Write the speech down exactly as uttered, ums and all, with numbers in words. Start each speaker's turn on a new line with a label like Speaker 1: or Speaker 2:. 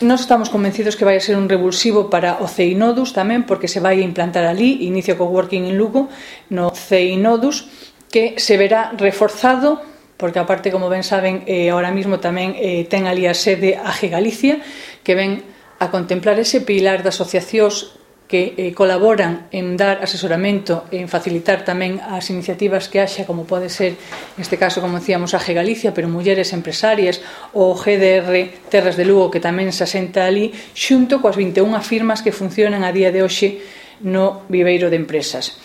Speaker 1: Nós estamos convencidos que vai ser un revulsivo para o CEINODUS tamén, porque se vai implantar ali, inicio co Working en Lugo, no CEINODUS, que se verá reforzado, porque aparte, como ben saben, eh, ahora mismo tamén eh, ten ali a sede a G Galicia, que ven a contemplar ese pilar de asociacións que eh, colaboran en dar asesoramento, en facilitar tamén as iniciativas que haxa, como pode ser, neste caso, como decíamos, a G Galicia, pero mulleres empresarias, ou G D R Terras de Lugo, que tamén se asenta ali, xunto coas vinte e unha firmas que funcionan a día de hoxe no viveiro de empresas.